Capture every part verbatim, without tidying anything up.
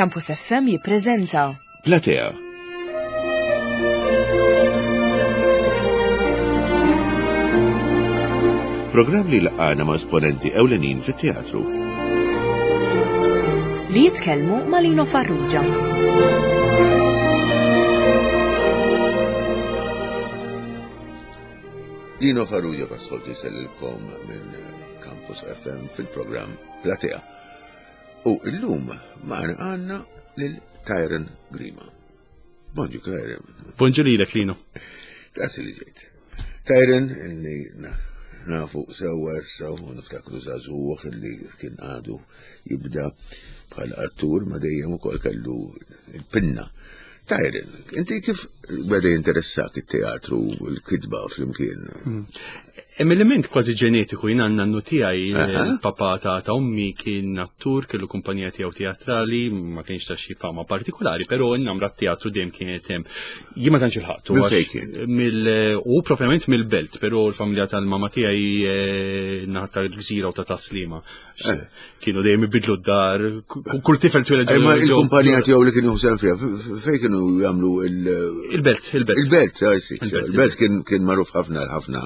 Campus F M jippreżenta Platea. Programm li jlaqqagħna ma' esponenti ewlenin fit-teatru. Li jitkellmu ma' Lino Farrugia. Lino Farrugia bħas-soltu jsellilkom minn Campus F M fil-programm Platea. U illum magħna għandna lil Tyron Grima. Bonġu, Tyron. Bonġu lilek, Lino. Grazzi li ġejt. Tyron, illi nafu sewwa issa u niftakru żagħżugħ illi kien għadu jibda bħala attur, ma dejjem ukoll kellu il-pinna. Tyron, inti kif beda jinteressak it-teatru u l-kitba flimkien? Hemm element kważi ġenetiku. Jien għandna nannu tiegħi, Aha. il-papa ta' ta' ommi, kien attur, kellu kumpanija tiegħu teatrali, ma kienx ta' xi fama partikolari, però n-namra teatru dejjem kienet hemm. Jien ma tantx ilħaqtu. Minn għax fejn kien? Mill u propjament mill-Belt, però l-familja tal-mama tiegħi eh, naħa tal-Gżira u ta' Tas-Sliema. Eh. Kienu dejjem ibidlu d-dar, kull tifel tweled Eh, ma ġo- il-kumpanija tiegħu li kien juħsem fiha, f- fejn kienu jagħmlu il- Il-Belt, il-Belt. Il-Belt, ah, sì, Il-Belt, il-Belt kien kien magħruf ħafna ħafna.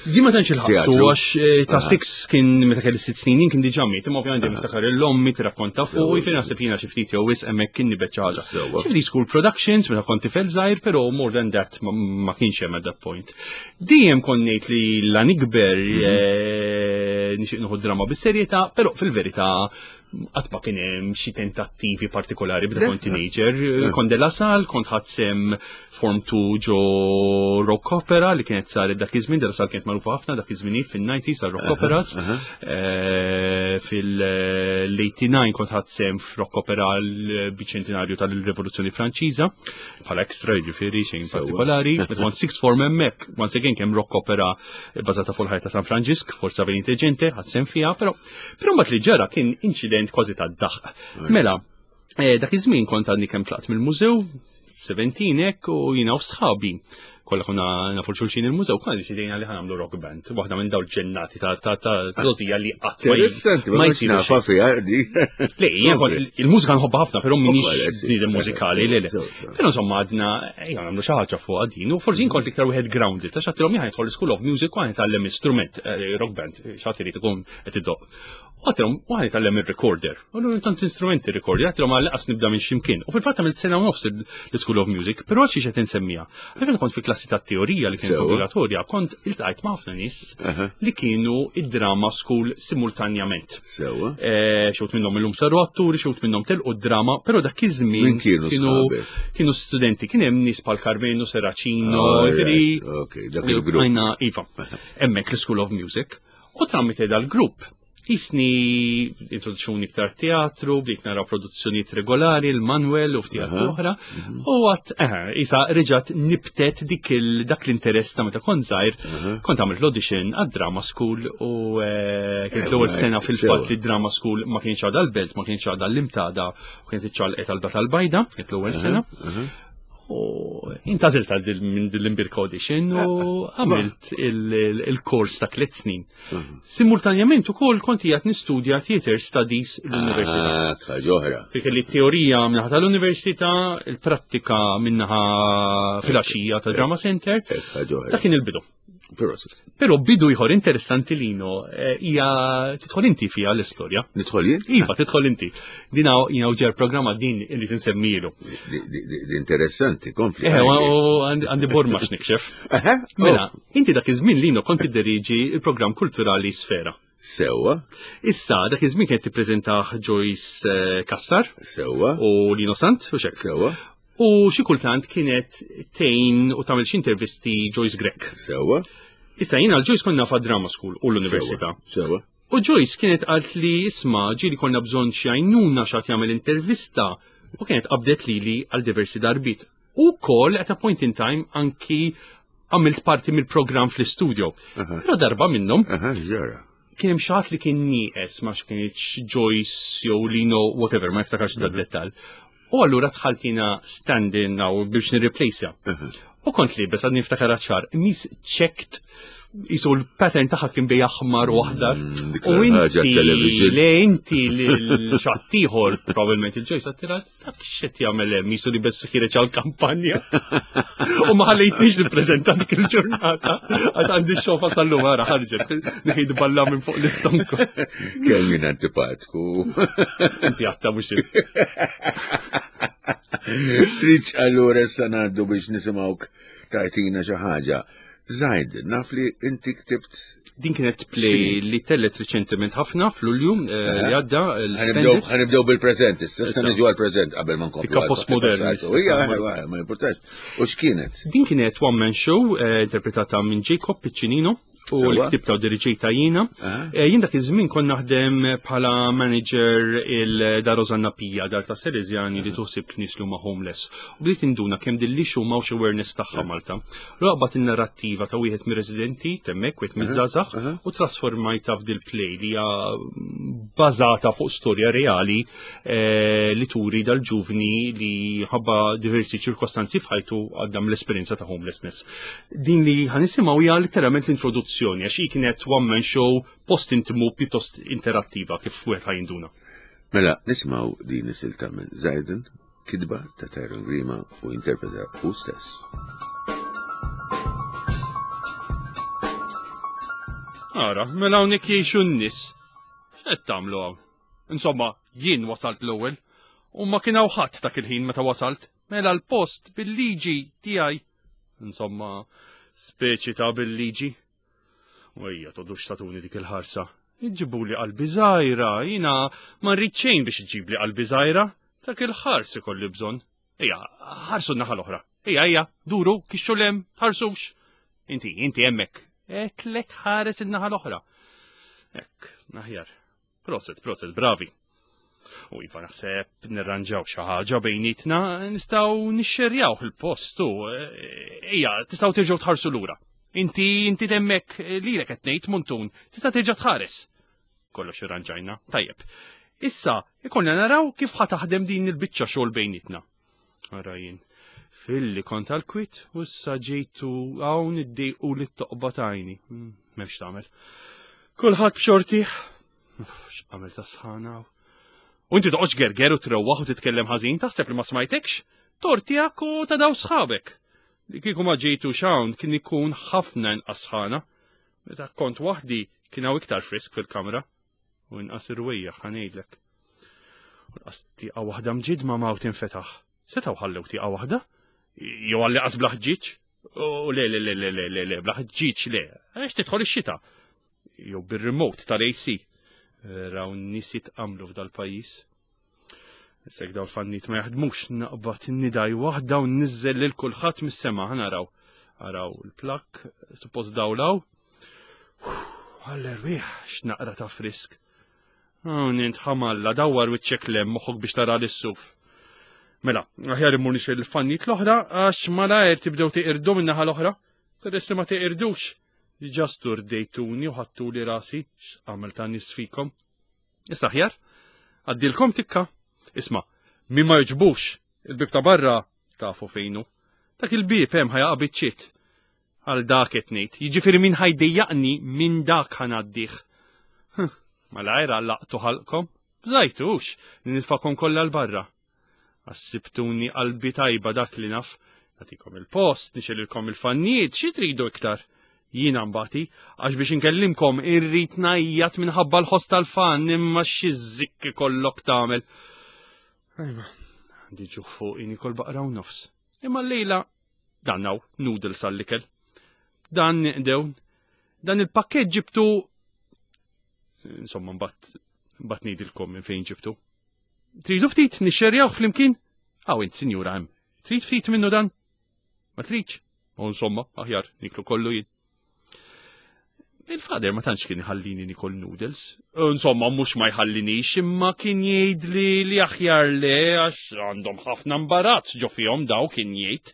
Jien ma tantx ilħaqtu Teatru. għax eh, ta' six kien, meta kelli sitt snin kien diġà miet, imma ovvjament niftakar l-ommi tirrakkonta fuq, u jiġifieri naħseb jiena xi ftit jew wisq hemmhekk kien nibet xi ħaġa. Sewwa. Xi ftit school productions meta kont tifel żgħir, però more than that ma- ma kienx hemm at that point. Dejjem kont ngħid li la nikber eh, nixtieq nieħu drama bis-serjetà, però fil-verità qatt ma kien hemm xi tentattivi partikolari bda kont teenager. Kont De La Salle, kont ħadt sehem Form two ġo rock opera li kienet saret dak iż-żmien. De La Salle kienet magħrufa ħafna dak iż-żminijiet fin-nineties għal rock operas. Eh, Fil-eighty-nine kont ħadt sehem f'rock opera l-biċentinarju tal-Rivoluzzjoni Franċiża bħala extra, jiġifieri xejn partikolari. Meta kont sixth form hemmhekk, once again kemm rock opera bbażata fuq il-ħajja ta' San Franġisk, Forza Venite Gente, ħadt sehem fiha, però però mbagħad li ġara kien inċident kważi tad-daħq. Mela, eh, dak iż-żmien kont għadni kemm tlaqt mill-mużew, seventeen hekk, u jiena u sħabi kollha konna nafu xulxin il-mużew, konna deċidejna li ħa nagħmlu rock band, waħda minn dawn ġennati ta' ta' ta' żgħożija li qatt ma Interessanti, ma ma kontx jsiru nafa xejn. fiha di. Le, jien kont il-mużika nħobbha ħafna, però minix Ukoll, sì. bniedem mużikali, le le. Sew, sew. Però insomma għadna, ejja nagħmlu xi ħaġa fuq din, u forsi jien kont iktar wieħed grounded, għax għedtilhom jien nidħol School of Music u ħa nitgħallem instrument, eh, rock band, xi ħadd irid ikun qed idoqq. U għedtilhom u ħa nitgħallem il-recorder. U l tant instrumenti recorder, għedtilhom għal nibda minn ximkien. U fil-fatt għamilt sena u nofs l-School of Music, però xi qed insemmija? Għalfejn kont fil-klassi ta' teorija li kienet Sewa. obbligatorja, kont iltqajt ma' ħafna nies Aha. li kienu id-drama school simultanjament. Sewwa. Eh, Xi wħud minnhom illum saru atturi, xi wħud minnhom telqu d-drama, però dak iż-żmien Min kienu kienu sħabek? kienu studenti, kien hemm nies bħal Carmeno Serracino, All right, jiġifieri ok, dak il-grupp. Għajna, iva, hemmhekk l-School of Music. U tramite dal-grupp, jisni introduċuni iktar teatru, bdejt nara produzzjonijiet regolari, il-Manuel u f'teatru oħra, u għat, eh, isa reġat nibtet dik il, dak l-interess ta' meta kont żgħir, kont għamilt l-audition għad-drama school u eh, kienet l-ewwel right, sena fil-fatt sewa. li drama school ma kienx għadha l-Belt, ma kienx għadha l-Imtada, u kienet iċċaqalqet għal tal-Bajda, kienet l-ewwel sena. U intgħażilt għal dil- minn din l-imbierka audition u għamilt il- il- il-kors ta' tliet snin. Simultanjament ukoll kont qiegħed nistudja Theater Studies l-Università. Ah, ħaġa oħra. Fi kelli teorija minnaħa tal-università, il-prattika minnaħa filgħaxija ta' Drama Center. Hekk, ħaġa oħra. Dak kien il-bidu. Però Però bidu ieħor interessanti, Lino, eh, hija tidħol inti fiha l-istorja. Nidħol jien? Iva, tidħol inti. Dina jina uġer programma din li tinsemmilu. Di- di- di- di interessanti, kompli. Eh, għajdi. u għandi għandi borma x'nikxef. Aha, oh, Mela, inti dak iż-żmien, Lino, kont tidderiġi il-programm kulturali Sfera. Sewwa, Issa, dak iż-żmien kienet tippreżentah Joyce eh, Kassar sewwa, u Lino Sant, u xek. sewwa, U xi kultant kienet tgħin u tagħmel xi intervisti Joyce Grech. sewwa. Issa jiena l-Joyce konna fa' drama school u l-università. Sewwa. U Joyce kienet qalt li isma' ġieli konna bżonn xi għajnuna xi ħadd jagħmel intervista, u kienet qabdet lili għal diversi darbit. U kol at a point in time anki għamilt parti mill-programm fl-studio. Però darba minnhom Aha, ġara. Kien hemm xi ħadd li kien nieqes, ma kienx Joyce jew Lino, whatever, ma niftakarx da dettal. U allura dħalt jiena stand-in aw biex nirreplaceja. U kont liebes, għadni niftakar ċar, qmis checked Isu l-pattern tagħha kien bej aħmar u aħdar. Mm, dik U l-ħaġa inti, television. le inti l-xattijħor, probabbilment il-ġoj, sattira, dak xet jagħmel hemm, jisu li bess ħireġ għal-kampanja. U ma ħallejtniex nippreżenta dik il-ġurnata. Għax għandi xofa tal-lum ara ħarġet, neħid balla minn fuq l-istonku. Kemm jien antipatku. Inti għatta mhux Triċ allura issa ngħaddu biex nisimgħuk tajtina xi ħaġa. Zajd, naf li inti ktibt Din kienet play li tellet riċentement ħafna fl-Ulju eh, li għadda Ħanibdew l-Spendit. ħanibdew bil-preżent, issa issa Issa. niġu għall-preżent qabel ma nkomplu. Tikka għal postmodern, passat. issa. Ija, ija, ma importax. U x'kienet? Din kienet one man show eh, interpretata minn Jacob Piccinino u Sewa. li ktibta u diriġejta jiena. Aha. Eh, Jien dak iż-żmien kont naħdem bħala manager il-Dar Rosanna Pija, dar ta' Salesjani li tuħsib nies li huma homeless. U bdiet induna kemm din l-issue m'hawnx awareness tagħha Malta. Raqbat in-narrattiva ta' wieħed mir-residenti temmek, wieħed miż-żgħażagħ, u trasformajta f'dil play li hija bażata fuq storja reali eh, li turi dal-ġuvni li ħabba diversi ċirkostanzi f'ħajtu għadda mill-esperjenza ta' homelessness. Din li ħa nisimgħu hija letteralment l-introduzzjoni għax hi kienet one man show post intimu pjuttost interattiva kif wieħed ħa jinduna. Mela, nisimgħu din is-silta minn Zajden, kitba ta' Tyron Grima u interpreta u stess. Ara, mela hawnhekk jgħixu n-nies. X'qed tagħmlu hawn? Insomma, jien wasalt l-ewwel u ma kien hawn ħadd dak il-ħin meta wasalt. Mela l-post bil-liġi tiegħi. Insomma, speċi ta' bil-liġi. U ejja todux tatuni dik il-ħarsa. Iġibuli qalbi żgħira, jiena ma rrid xejn biex iġibli qalbi żgħira. Dak il-ħars ikolli bżonn. Ejja, ħarsu n-naħa l-oħra. Ejja, ejja, duru, kixxu lem, ħarsux. Inti, inti hemmhekk. Etlek ħares in-naħa l-oħra. Ekk, aħjar. Proset, proset, bravi. U iva naħseb nirranġaw xi ħaġa bejnietna, nistgħu nixxerjaw il-post u ejja, tistgħu terġgħu tħarsu lura. Inti inti demmek lilek qed ngħid muntun, tista' terġa' tħares. Kollox irranġajna, tajjeb. Issa, ikollna naraw kif ħa taħdem din il-biċċa xogħol bejnietna. Ara jien, filli kont għal-kwit u issa ġejtu hawn iddejqu li t-toqba tajni. Mm, M'hemmx tagħmel. Kulħadd b'xortih. Uff, x'għamel ta' sħana. U inti toqgħodx gerger u trewwaħ u titkellem ħażin, taħseb li ma smajtekx? Tortijak u ta' daw sħabek. Li kieku ma ġejtu xawn kien ikun ħafna inqas sħana. Meta kont waħdi kien hawn iktar frisk fil-kamra. U inqas irwejjaħ ħa ngħidlek. U nqas tieqa waħda mġidma ma tinfetaħ. Setgħu ħallew tieqa waħda? Jew għalli qas bla ħġieġ? U le, le, le, le, le, le, le, bla ħġieġ le. Għax tidħol ix-xita. Jew bir-remote tal-A C. Raw nies jitqamlu f'dal-pajjiż. Issa jekk daw l-fannit ma jaħdmux naqbad nidaj waħda u nniżel lil kulħadd mis-sema ħa naraw. Araw il-plak, suppost dawlaw. Għall-erwieħ, x'naqra ta' frisk. Hawn int ħamalla dawwar wiċċek lem moħħok biex tara l-suf. Mela, aħjar immur nixgħel il-fannit l-oħra għax malajr tibdew tiqirdu min-naħa l-oħra. Peress li ma tiqirdux. Diġà sturdejtuni u ħattuli rasi, x'għamel ta' nies fikom. Issa aħjar, għaddilkom tikka. Isma', min ma jġbux, il-bib ta' barra tafu fejnu. Dak il-bib hemm ħa jaqa' biċċiet. Għal dak qed ngħid, jiġifieri min ħa jdejjaqni minn dak ħa ngħaddih. Malajr għallaqtu ħalqkom, bżajtux, li nitfakom kollha 'l barra. Għassibtuni qalbi tajba dak li naf, nagħtikom il-post, nixgħelilkom il-fannijiet, xi tridu iktar? Jiena mbati, għax biex inkellimkom irrid ngħajjat minħabba l-ħoss tal-fan imma xi żikk ikollok tagħmel. Ajma, għandi ġuħ fuq nikol baqra u nofs. Imma l-lejla dan hawn noodles għall-ikel. Dan niqdew, dan il-pakket ġibtu insomma mbagħad mbagħad ngħidilkom minn fejn ġibtu. Tridu ftit nixxerjaw flimkien? Aw int sinjura hemm. Trid ftit minnu dan? Ma tridx? U insomma, aħjar niklu kollu jien. Il-father ma tantx kien iħallini nikol noodles. Insomma, mhux ma jħallinix, imma kien jgħidli li aħjar le għax għandhom ħafna imbarazz ġo fihom daw kien jgħid.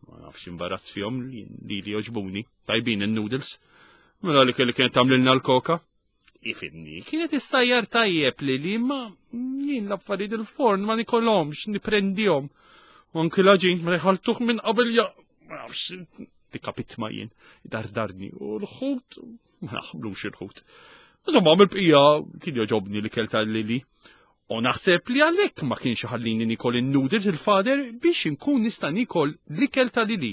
Ma nafx imbarazz fihom li li li joġbuni. Tajbin il-noodles. Mela li kelli kienet tagħmlilna l-koka. Ifimni, kienet issajjar tajjeb li li ma jien l-affarijiet il-forn ma nikolhomx, niprendihom. U anki l-għaġin ma jħaltuh minn qabel ja ma nafx Dikka pitma jien, dardarni, u l-ħut, ma naħblux il-ħut. Insomma, mill-bqija kien joġobni li kelta lili. U naħseb li għalhekk ma kienx ħallini nikol in-noodles il-fader biex inkun nista' nikol l-ikel ta' Lili.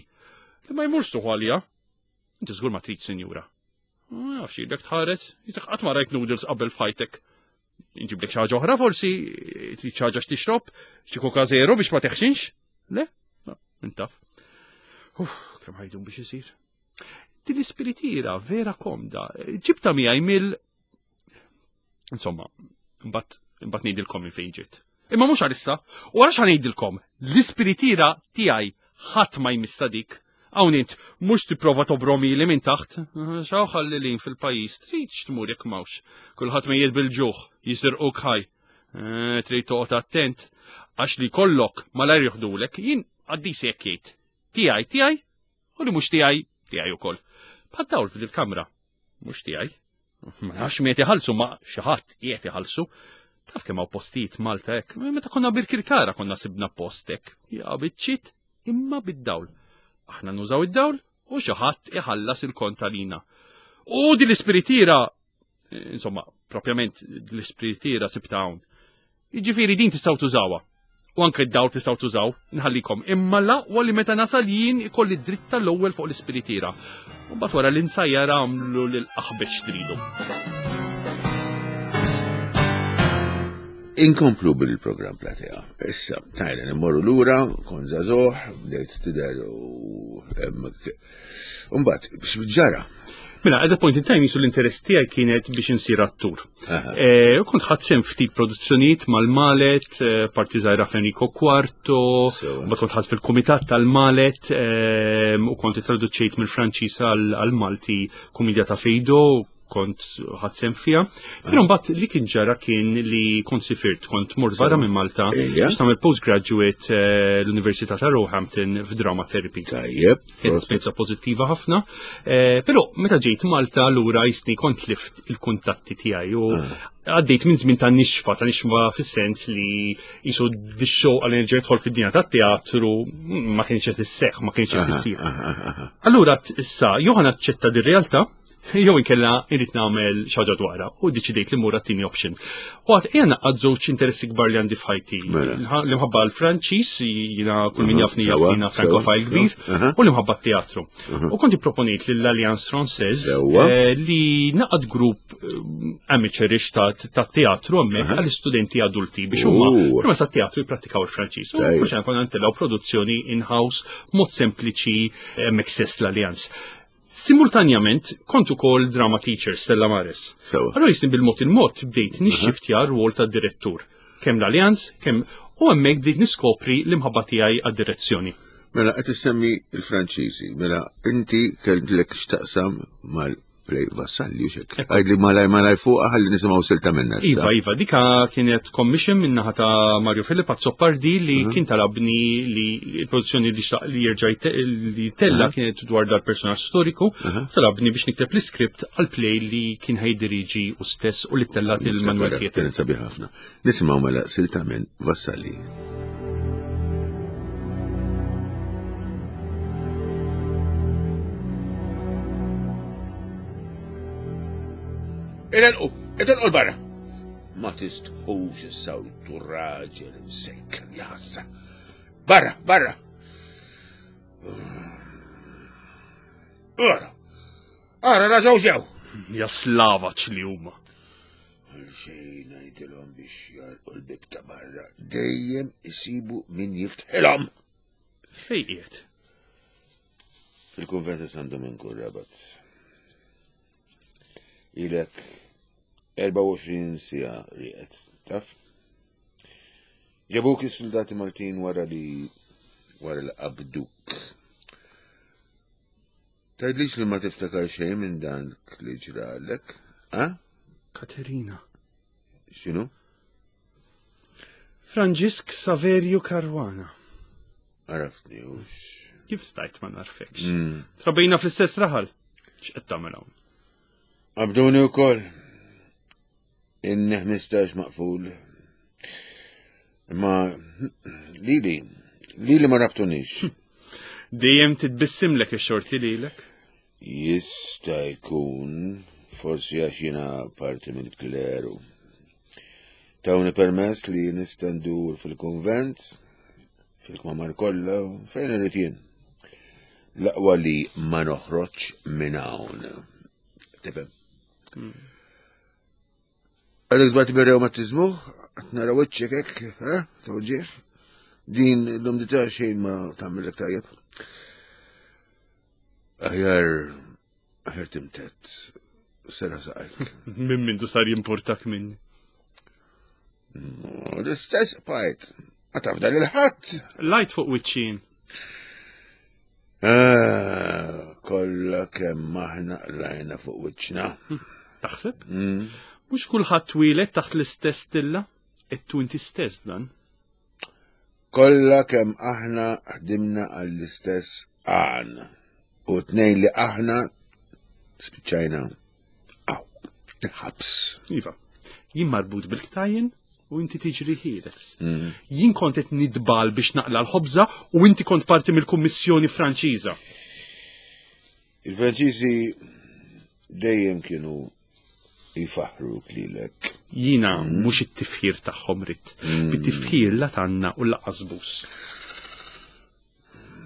Li ma jmurx tuħu għalija. Inti żgur ma trid, sinjura. Ma nafx ilek tħares, jisek qatt ma rajt noodles qabel f'ħajtek. Inġiblek xi ħaġa oħra forsi, trid xi ħaġa x'tixrob, xi Coca Zero biex ma teħxinx? Le? No, intaf. Uff, kemm ħajdum biex isir. Din l-ispiritira vera komda. Ġibta miegħi mill Insomma, mbagħad imbagħad ngħidilkom minn fejn ġiet. Imma mhux għalissa, u għalax ngħidilkom, l-ispiritira tiegħi ħadd ma jmissa dik. Hawn int mhux tipprova tobromi li minn taħt, xaw ħalli lin fil-pajjiż, trid tmur jekk m'hawnx. Kulħadd mejjed bil-ġuħ, jisirquk ħaj. Eh, trid toqgħod attent, għax li kollok malajr joħdulek, jien għaddis jekk jgħid. Tiegħi tiegħi u li mhux tiegħi tiegħi ukoll. Bħad dawl fil-kamra, mhux tiegħi. Ma nafx min qed iħallsu, ma xi ħadd qiegħed iħallsu. Taf kemm hawn postijiet Malta hekk. Meta konna Birkirkara konna sibna post hekk. Ja biċċiet imma bid-dawl. Aħna nużaw id-dawl u xi ħadd iħallas il-kont għalina. U din l-ispiritira, insomma, propjament l-ispiritira sibta hawn. Jiġifieri din tistgħu tużawha. U anke d-dawl tistgħu tużaw, nħallikom. Imma l-aqwa li meta nasal jien ikolli dritt tal-ewwel fuq l-ispiritira. U mbagħad wara li nsajjar għamlu lil aħbex tridu. Inkomplu bil-programm Platea. Issa, tajna immorru lura, kon żagħżugħ, bdejt tidher u mbagħad x'ġara? Mela, at that point in time jisu l-interess tiegħi kienet biex insir attur. Eh, u kont ħadt sehem ftit produzzjonijiet mal-Malet, eh, parti żgħira f'Enrico Quarto, Sewa. mbagħad kont ħadt fil-kumitat tal-Malet, eh, u kont traduċejt mill-Franċiż għal-Malti kumedja ta' Fejdo, kont ħadt sehem fiha. Però mbagħad li kien ġara kien li kont sifirt, kont mort barra minn Malta Ejja. biex nagħmel postgraduate eh, l-Università ta' Roehampton f'Drama Therapy. Tajjeb. Kienet esperjenza pożittiva ħafna. Eh, Però meta ġejt Malta lura jisni kont lift il-kuntatti tiegħi u għaddejt minn żmien ta' nixfa, ta' nixfa fis-sens li jisu dix-show għal nerġa' jidħol fid-dinja tat-teatru ma kienx qed isseħħ, ma kienx qed issir. Allura t- issa jew ħa naċċetta dir-realtà, jew inkella irrid nagħmel xi ħaġa dwarha u deċidejt li mmur għat-tieni option. U għad qiegħ naqgħad żewġ interessi kbar li għandi f'ħajti. Mela. L-imħabba għall-Franċiż, jiena kull min Mhm, jafni jaf sewa, jiena frankofile sewa, kbir, aha. u l-imħabba t-teatru. U konti proponejt lill-Alliance Française Sewa. eh, li naqgħad grupp eh, amateurish ta' ta' teatru hemmhekk għall-istudenti adulti biex huma Uh. prima ta' teatru jipprattikaw il-Franċiż. U Tajjeb. kull xejn konna ntellgħu produzzjoni in-house mod sempliċi hemmhekk stess l-Alliance. Simultanjament kont ukoll drama teacher Stella Maris. Sewa. Allora jisni bil-mod il-mod bdejt nixxiftja r-rwol ta' direttur. Kemm l-Alliance, kemm u hemmhekk bdejt niskopri l-imħabba tiegħi għad-direzzjoni. Mela, qed issemmi il-Franċiżi. Mela, inti kellek x'taqsam mal-play Vassalli u xek. Għidli malaj malaj fuq ħalli nisimgħu silta minna. issa. Iva, Iva, dika kienet commission minnaħa ta' Mario Philip Azzopardi li kien talabni li il-produzzjoni li xtaq li jerġa' jte- li tella kienet dwar dal-personaġġ storiku, talabni biex nikteb l-iskript għal play li kien ħajdiriġi u stess u li tellat il-Manuel Niftakar, Theatre. Kienet sabiħ ħafna. Nisimgħu mela silta minn Vassalli. Idelqu, idelqu l-barra. Ma tistħux is-sawtu raġel imsejken jassa. Barra, barra. Ara, ara, raġaw ġew. Ja slavaċ li huma. Xejn ngħidilhom biex jarqu l-bib ta' barra. Dejjem isibu min jiftħilhom. Fej qiegħed? Fil-kunvent ta' San Dominku Rabat. Ilek erbgħa u għoxrin siegħa rieqed, taf? Ġabuk is-soldati Maltin wara li wara li qabduk. Tgħidlix li ma tiftakar xejn minn dan li ġralek, ha? Katerina. X'inhu? Franġisk Saverio Caruana. Għaraftni ux. Kif stajt ma narfekx? Trabejna fl-istess raħal. X'qed tagħmel hawn? Qabduni wkoll. Inni ħmistax maqful. Imma lili, lili ma rabtunix. Dejjem titbissimlek ix-xorti lilek. Jista' jkun, forsi għax jiena parti mill-kleru. Tawni permess li nista' ndur fil-kunvent, fil-kmamar kollha, fejn irrid jien. L-aqwa li ma noħroġ minn hawn. Tifhem? Għadek tbati bir-rewmatiżmu, qed nara wiċċek hekk, eh, tawġieħ. Din l-umdità xejn ma tagħmilek tajjeb. Aħjar, aħjar timtet, sera saqajk. Minn mindu sar jimportak minni. L-istess bqajt, ma tafda lil ħadd. Lajt fuq wiċċin. Ah, kollha kemm aħna qlajna fuq wiċċna. Taħseb? Mm. Mhux kulħadd twieled taħt l-istess stilla, ettu inti stess dan. Kollha kemm aħna ħdimna għall-istess għan. U tnejn li aħna spiċċajna għaw, il-ħabs. Iva, jien marbut bil-ktajjen u inti tiġri ħieles. Mm. Jien kont qed nidbal biex naqla l-ħobża u inti kont parti mill-Kummissjoni Franċiża. Il-Franċiżi dejjem kienu jifaħru lilek. Jiena mhux it-tifħir tagħhom ridt. Bit-tifħir la tanna u lanqas bus.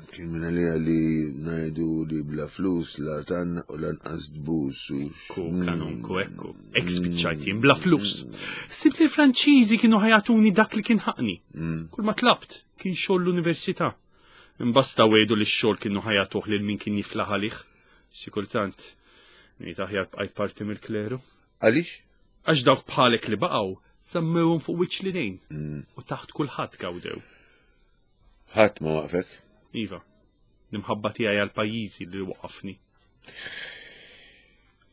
Kien minn għalija li ngħidu li bla flus la tanna u lanqas tbus u Ekku, kanonku, ekku. Ek spiċċajt jien bla flus. Sibt li l-Franċiżi kienu ħa jagħtuni dak li kien ħaqni. Kull ma tlabt kien xogħol l-università. Imbasta wegħdu li x-xogħol kienu ħa jagħtuh lil min kien jiflaħ għalih. Xi kultant, ngħid aħjar bqajt parti mill-kleru. Għaliex? Għax dawk bħalek li baqgħu żammewhom fuq wiċċ l-idejn u taħt kulħadd gawdew. Ħadd ma waqfek. Iva, l-imħabba tiegħi għal pajjiżi li waqafni.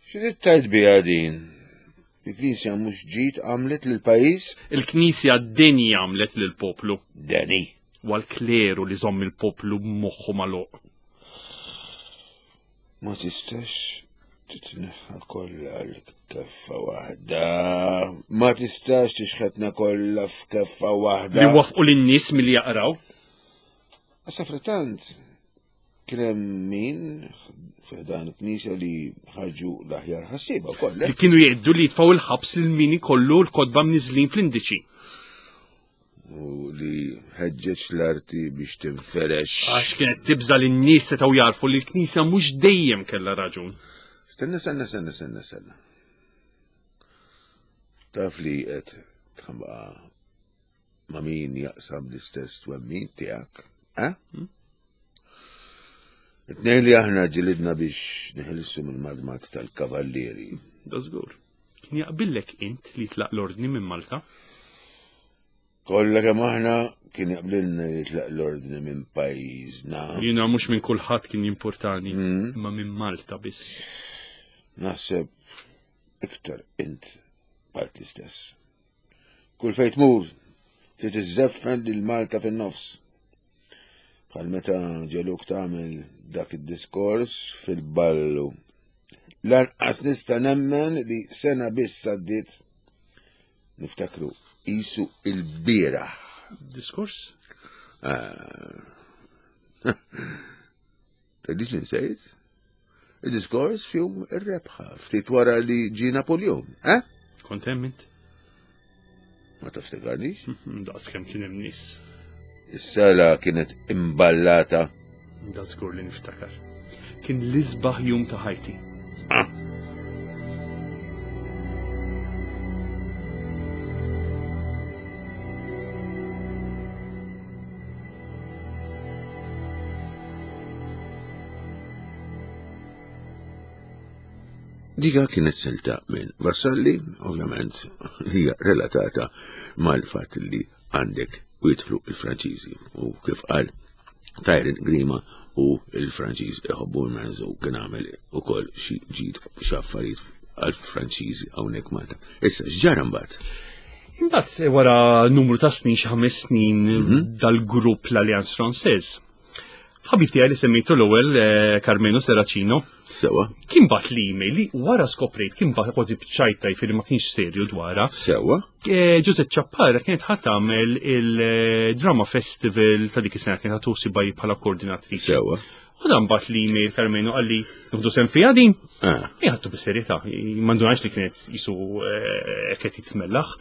Xi trid tgħid biha din? Il-Knisja mhux ġid għamlet lill-pajjiż? Il-Knisja d-dinja għamlet lill-poplu. Deni. U għal-kleru li żomm il-poplu b'moħħu magħluq. Ma tistax titneħħa kollha l-keffa waħda. Ma tistax tixħetna kollha f'keffa waħda. Li wafqu lin-nies milli jaqraw. Issa frattant kien hemm min f'dan il-Knisja li ħarġu l-aħjar ħassieba wkoll. Li kienu jgħiddu li jitfgħu il-ħabs lil min ikollu l-kotba mniżlin fl-indiċi. U li ħeġġeġ l-arti biex tinferex. Għax kienet tibża li n-nies setgħu jarfu li l-Knisja mhux dejjem kellha raġun. Stenna, stenna, stenna, stenna, stenna. Taf li qed tħambaqa ma' min jaqsam l-istess twemmin tiegħek, eh? It-tnejn li aħna ġilidna biex neħilsu mill-madmat tal-kavallieri. Da żgur. Kien jaqbillek int li tlaq l-ordni minn Malta? Kollha kemm aħna kien jaqblilna li tlaq l-ordni minn pajjiżna. Jiena mhux minn kulħadd kien jimpurtani, imma minn Malta biss. Naħseb iktar int bqajt l-istess. Kull fejn tmur trid iżżeffen lil Malta fin-nofs. Bħal meta ġeluk tagħmel dak id-diskors fil-ballu. Lanqas nista' nemmen li sena biss għaddiet niftakru qisu il-bieraħ. Diskors? Tgħidlix li nsejt? Il-diskors fjum ir-rebħa, ftit wara li ġie Napoleon, eh? Kont hemm int? Ma tiftakarnix? Daqs kemm kien hemm nies. Is-sala kienet imballata. Da żgur li niftakar. Kien l-isbaħ jum ta' ħajti. Ah. Dika kienet silta minn Vassalli, ovvjament, li hija relatata mal-fatt li għandek u jidħlu il-Franċiżi. U kif qal Tyron Grima u il-Franċiż iħobbu l-Menzo u kien għamel ukoll xi ġid xi affarijiet għall-Franċiżi hawnhekk Malta. Issa x'ġara mbagħad? Imbagħad wara numru ta' snin, xi ħames snin dal-grupp l-Alliance Française, Ħabib tiegħi li semmejtu l-ewwel eh, Carmenu Serracino Sewa. kien bagħat l-email li wara skoprejt kien bagħat kważi b'ċajta jifieri ma kienx serju dwarha. Sewa. Eh, Josette Ciappara kienet ħa tagħmel il-Drama Festival ta' dik is-sena kienet ħa tuħsibha bħala koordinatriċi. Sewa. U dan bagħat l-email Carmenu qalli nieħdu sehem fiha din. Ah. Ħadtu bis-serjetà, ma ndunajtx li kienet jisu eh, qed jitmellaħ.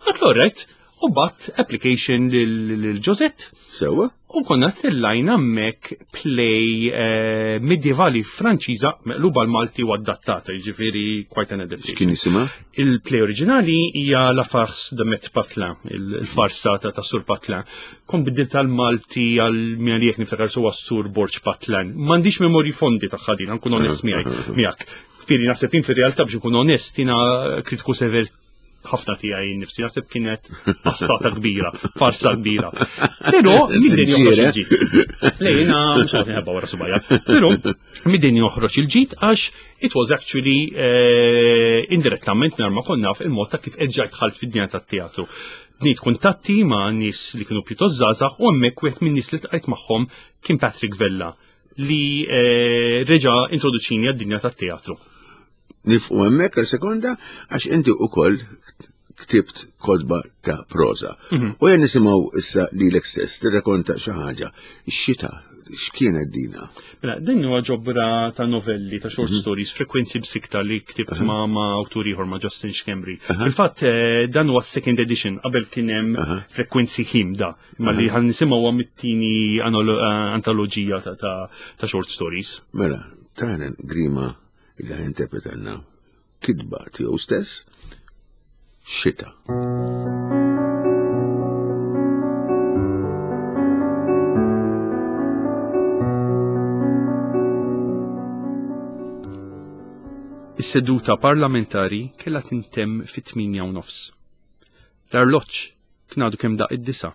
Għedtlu alright, u bgħatt application lil Josette Sewa. u konna tellajna hemmhekk play eh, medievali Franċiża meqluba l-Malti u adattata, jiġifieri quite an adaptation. X'kien jisimha? Il-play oriġinali hija La Farce de Maître Pathelin, il-farsa ta' ta' Sur Pathelin. Kont biddilt tal-Malti għal minna li jek niftakar su Sur Borg Pathelin. M'għandix memorji fondi ta' ħadin, nkun onest miegħi miegħek. Fieri naħseb jien fir-realtà biex nkun onest jiena kritiku sever ħafna tiegħi nnifsi, naħseb kienet passata kbira, farsa kbira. Però mid-din joħroġ Sinċiera. il-ġid. Le, jiena mhux qed nħebba wara subajja. Però mid-din joħroġ il-ġid għax it was actually eh, indirettament nar ma konna naf il-mod ta' kif erġajt dħalt fid-dinja tat-teatru. Bnejt kuntatti ma' nies li kienu pjuttost żgħażagħ u hemmhekk wieħed minn nies li ltqajt magħhom kien Patrick Vella li eh, reġa' introduċini għad-dinja tat-teatru. Nieqfu hemmhekk għal sekonda għax inti ukoll ktibt kotba ta' proza. U jen nisimgħu issa lilek stess tirrakonta xi ħaġa. Ix-xita, x'kienet dina? Mela, din huwa ġobra ta' novelli, ta' short stories, Frekwenzi B'Sikta li ktibt ma' ma' awtur ieħor ma' Justin Schembri. Fil-fatt eh, dan huwa second edition, qabel kien hemm Frekwenzi Ħimda, imma li ħa nisimgħu huwa mit-tieni anolo- eh, antoloġija ta', ta', ta' short stories. Mela, Tyron Grima li ħa jinterpretalna kitba tiegħu stess, Xita. Is-seduta parlamentari kellha tintemm fit-tmienja u nofs. L-arloġġ kien għadu kemm daq id-disgħa.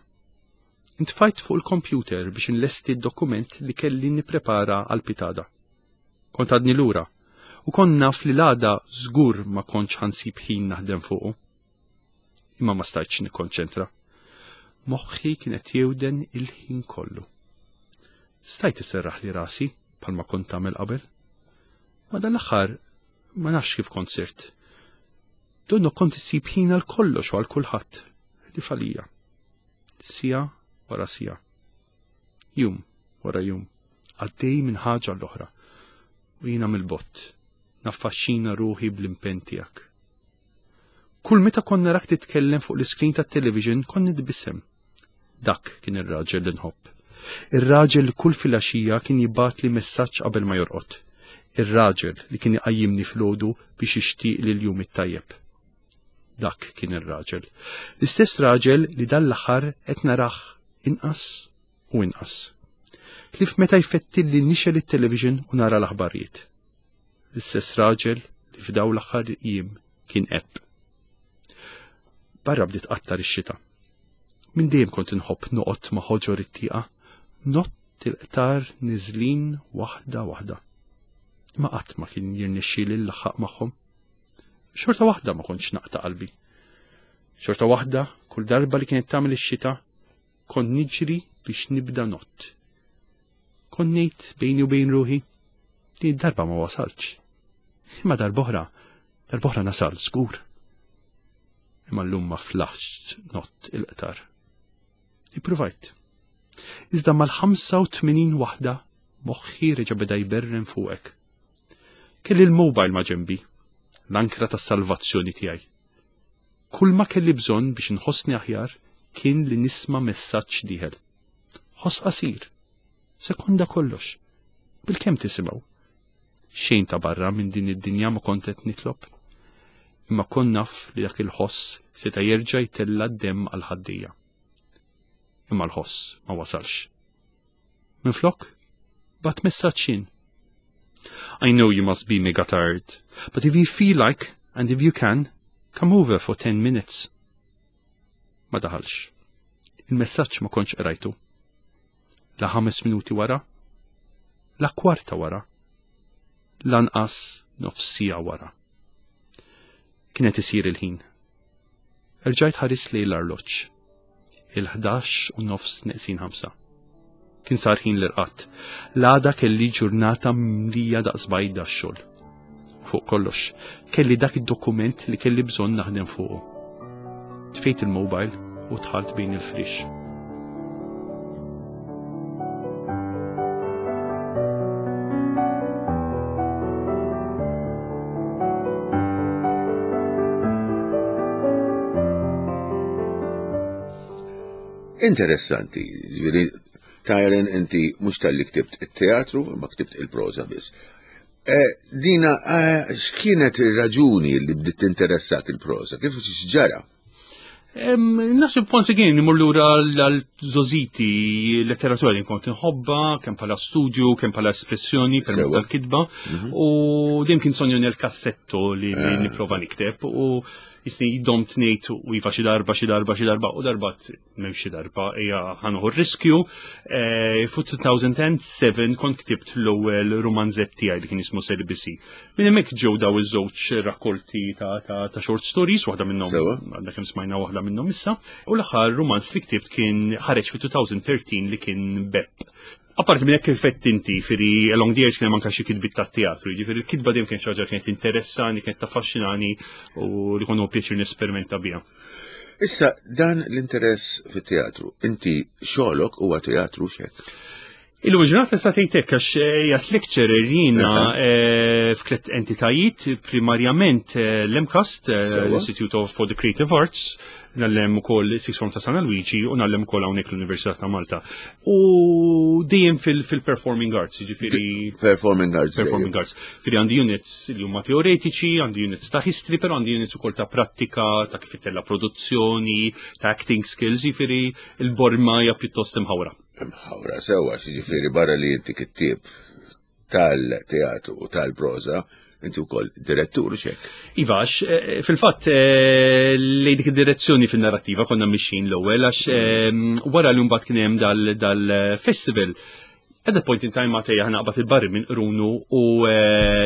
Intfajt fuq il-kompjuter biex inlesti d-dokument li kelli nipprepara għal pitgħada. Kont għadni lura u kont naf li l-għada żgur ma kontx ħa nsib ħin naħdem fuqu. Imma ma stajtx nikkonċentra. Moħħi kienet jewden il-ħin kollu. Stajt isserraħli rasi bħalma kont tagħmel qabel. Ma dan l-aħħar ma nafx kif kont sirt. Donnu kont issib ħin għal kollox u għal kulħadd ħlief għalija. Siegħa wara siegħa. Jum wara jum. Għaddej minn ħaġa l-oħra. U jiena mill-bogħod. Naffaxxina ruħi bl-impenn tiegħek. Kull meta kont narak titkellem fuq l-iskrin tat-television kont nitbissem. Dak kien ir-raġel li nħobb. Ir-raġel li kull filgħaxija kien jibgħatli messaġġ qabel ma jorqod. Ir-raġel li kien iqajjimni filgħodu biex jixtieqli l-jum it-tajjeb. Dak kien ir-raġel. L-istess raġel li dan l-aħħar qed narah inqas u inqas. Ħlief meta jfettilli nixgħel it-television u nara l-aħbarijiet. L-istess raġel li f'daw l-aħħar jiem kien għeb. Barra bdiet tqattar ix-xita. Minn dejjem kont inħobb noqgħod ma' ħoġor it-tieqa, ngħodd il-qtar niżlin waħda waħda. Ma qatt ma kien jirnexxieli nlaħħaq magħhom. Xorta waħda ma kontx naqta' qalbi. Xorta waħda, kull darba li kienet tagħmel ix-xita, kont niġri biex nibda ngħodd. Kont ngħid bejni u bejn ruħi, din id-darba ma wasalx. Imma darb'oħra, darb'oħra nasal żgur. Imma llum ma flaħx ngħodd il-qtar. Ippruvajt. Iżda mal-ħamsa u tmenin waħda moħħi reġa' beda jberren fuqek. Kelli l-mobile ma' ġembi, l-ankra tas-salvazzjoni tiegħi. Kull ma kelli bżonn biex nħossni aħjar kien li nisma' messaġġ dieħel. Ħoss qasir, sekonda kollox, bil-kemm tisimgħu. Xejn ta' barra minn din id-dinja ma kont qed nitlob. Imma kont naf li dak il-ħoss seta' jerġa' jtella' d-demm għal ħaddija. Imma l-ħoss ma wasalx. Minflok, bgħatt messaġġ jien. I know you must be mega tired, but if you feel like, and if you can, come over for ten minutes. Ma daħalx. Il-messaġġ ma kontx qrajtu. La ħames minuti wara, la kwarta wara, lanqas nofs siegħa wara. Kienet isir il-ħin. Erġajt ħarist lejn l-arloġġ. Il-ħdax u nofs neqsin ħamsa. Kien sar ħin l-irqad. L-għada kelli ġurnata mlija daqs bajda x-xogħol. Fuq kollox, kelli dak id-dokument li kelli bżonn naħdem fuqu. Tfejt il-mobile u dħalt bejn il-frix. Interessanti, ġifieri Tyron, inti mhux talli ktibt it-teatru, ma ktibt il-proża biss. Eh, dina, eh, x'kienet ir-raġuni li bdiet tinteressak il-proża? Kif x'ġara? Naħseb once again imur lura għal-żgħożiti, letteratura li kont nħobba, kemm bħala studju, kemm bħala espressjoni permezz tal-kitba, mhm. u dejjem kien sogno nel cassetto li eh. nipprova nikteb u jisni domt ngħid u iva xi darba, xi darba, xi darba, u darba m'hemm xi darba hija ħa nieħu riskju. Eh, fu elfejn u seba' kont ktibt l-ewwel rumanzett tiegħi li kien jismu Celibacy. Minn hemmhekk ġew daw iż-żewġ rakkolti ta', ta, ta short stories, waħda minnhom għandna kemm smajna waħda minnhom issa, u l-aħħar rumanz li ktibt kien ħareġ fi elfejn u tlettax li kien Bep. Apparti minn hekk, kif inti ġifieri along the years kien hemm anke xi kitbiet tat-teatru, jiġifieri l-kitba dejjem kien xi ħaġa kienet interessani, kienet taffaxxinani u li kont pjaċir nesperimenta biha. Issa dan l-interess fit-teatru, inti xogħlok huwa teatru xek? Illum il-ġurnata tista' tgħid hekk għax qiegħed lecturer jiena eh, f'tliet entitajiet, primarjament eh, l-MCAST, eh, l-Institute of for the Creative Arts, ngħallem ukoll Sixth Form ta' San Luigi u ngħallem ukoll hawnhekk l-Università ta' Malta. U dejjem fil-performing arts, jiġifieri Performing arts. Performing arts. Ġifieri għandi units li huma teoretiċi, għandi units ta' history, però għandi units ukoll ta' prattika, ta' kif ittella' produzzjoni, ta' acting skills, jiġifieri il-borma hija pjuttost imħawra. Imħawra sewa, ġifieri barra li inti kittieb tal-teatru u tal-proza, inti wkoll direttur xek. Iva, eh, fil-fatt eh, li dik id-direzzjoni fin-narrativa konna mixin l-ewwel għax eh, wara li mbagħad kien hemm dal-festival. At that point in time ma tejja naqbad il-barri minn qrunu u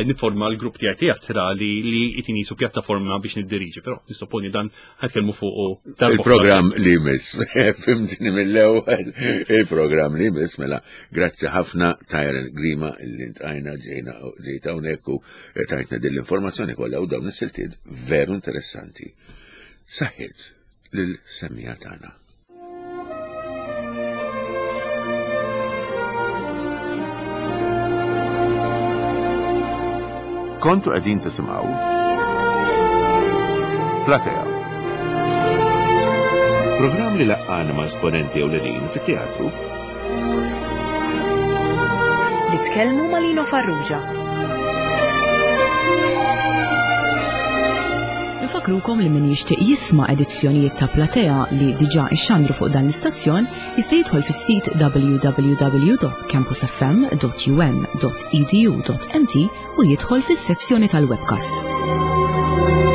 niforma l-grupp tiegħi teatrali li jtini su pjattaforma biex niddiriġi, però nissoponi dan ħa nitkellmu fuq Il-programm li jmiss, fhimtni mill-ewwel, il-programm li jmiss, mela, grazzi ħafna Tyron Grima li ltqajna ġejna ġejta hawnhekk u tajtna din l-informazzjoni kollha u dawn is-siltiet veru interessanti. Saħħit lil-semmiegħa tagħna. Kontu qegħdin tisimgħu Platea. Programm li laqqana ma' esponenti ewlenin fit-teatru Li tkellmu ma' Lino Farrugia. Nfakrukom li min jixtieq jisma' edizzjonijiet ta' Platea li diġà ixxandru fuq dan l-istazzjon jista' jidħol fis-sit w w w dot campusfm dot um dot edu dot m t u jidħol fis-sezzjoni tal-webcasts.